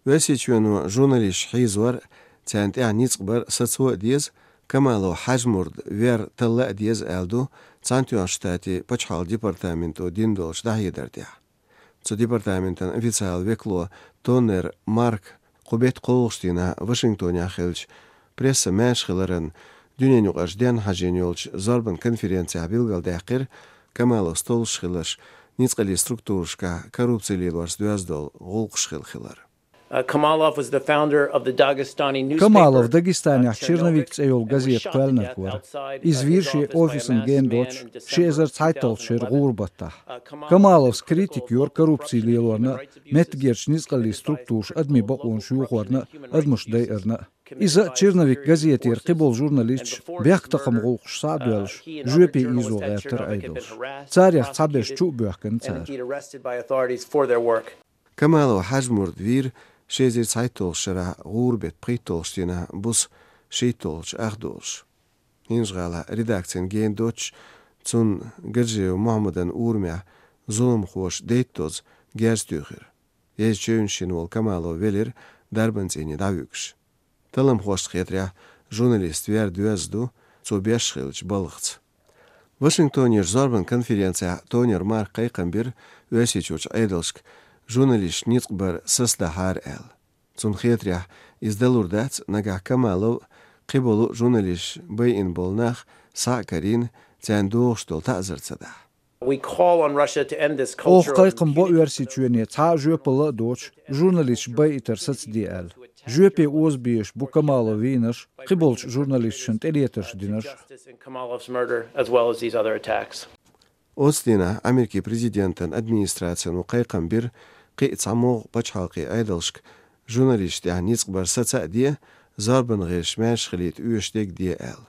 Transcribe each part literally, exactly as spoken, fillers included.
Оьрсийчоьно журналисташ хьийзор, царна тӀехь ницкъ бар сацо а деза, Камалов Хьажмурд вер талла а деза аьлла ду Цхьаьнатоьхначу Штатийн пачхьалкхан департаменто дина долчу дӀахьедар тӀехь. Цу департаментан официалан векало Тоннер Марк кху беттан кхоалгӀачу дийнахь Вашингтонехь хиллачу пресса-маьрша хиларан дуьненаюкъарчу денна хьажийна йолчу зорбан конференцехь билгалдаьккхира Камаловс толлуш хиларш ницкъаллин структурашкахь коррупци лелорца доьзна долу гӀуллакхаш хилла хилар. Uh, Kamalov was the founder of the Dagestani newspaper. Камалов Дагестанехь uh, Черновик цӀе йолу газета кхоьллинарг вара. Иза вийра шен офисан гена доцуш, ши эзар цхьайтталгӀачу шеран гӀуран баттахь. Камаловс критика йора коррупци лелорна а, меттигерчу ницкъаллин структураша адамийн бакъонаш йохорна а, адамаш дайарна а. Иза а, Черновик газетера кхиболу журналисташ бехктакхаман гӀуллакхаш схьа а доьллуш, жоьпе ийзо гӀертара Ӏедалша. Царех цхьаберш чу а боьхкина цара. Камалов Хьажмурд вийра ши эзар цхьайтталгӀачу шарахь гӀуран беттан пхийтталгӀачу дийнахь буса шийтталгӀачу ах долуш. ХӀинжа-ГӀалахь редакцин гена доцуш, цунна Гаджиев Мухьаммадан урамехь зуламхоша дейттаза герз туьйхира. Еза чевнаш йина волу Камалов велира дарбан цӀийне дӀавуьгуш. Талламхошна хетарехь, журналист вер доьзна ду цо беш хиллачу балхаца. Вашингтонерчу зорбан конференцехь Тоннер Марк кхайкхам бира Оьрсийчуьрчу Ӏедалшка журналисташ ницкъ бар сацадахьара аьлла. Цунна хетарехь, иза далур дац, нагахь Камалов а, кхиболу журналисташ байина болу нах схьа а карийна, царна догӀуш долу таӀзар ца дахь. We call on Russia to end this culture of Оха кхайкхам бо Оьрсийчоьне, цхьа а жоьпалла а доцуш, журналисташ байитар сацаде аьлла. Жоьпе оза безаш бу Камалов вийнарш, кхиболчу журналисташна тӀелетарш динарш а. Justice in Kamalov's murder, as well as these other attacks. Оцу дийнахь Америкин президентан администрацино кхайкхам бира кхин а цхьамогӀа пачхьалкхийн Ӏедалшка журналисташна тӀехь ницкъ бар саца а де, зорбан гӀирсаш маьрша хилийта оьшуш дерг де аьлла.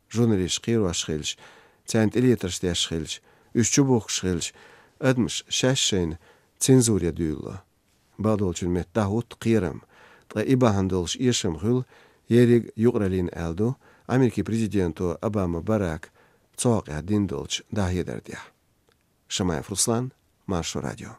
Журналисташ кхерош хилча, царна тӀелетарш деш хилча, уьш чубухкуш хилча, адамаш шаьш шайна цензуре дуьйлало. Бакъдолчун метта дӀахӀутту кхерам, ткъа и бахьана долуш эшам хуьлу ерриг юкъараллина аьлла ду Америкин президенто Обама Барака цу хьокъехь дина долчу дӀахьедар тӀехь. Шамаев Руслан, Маршо радио.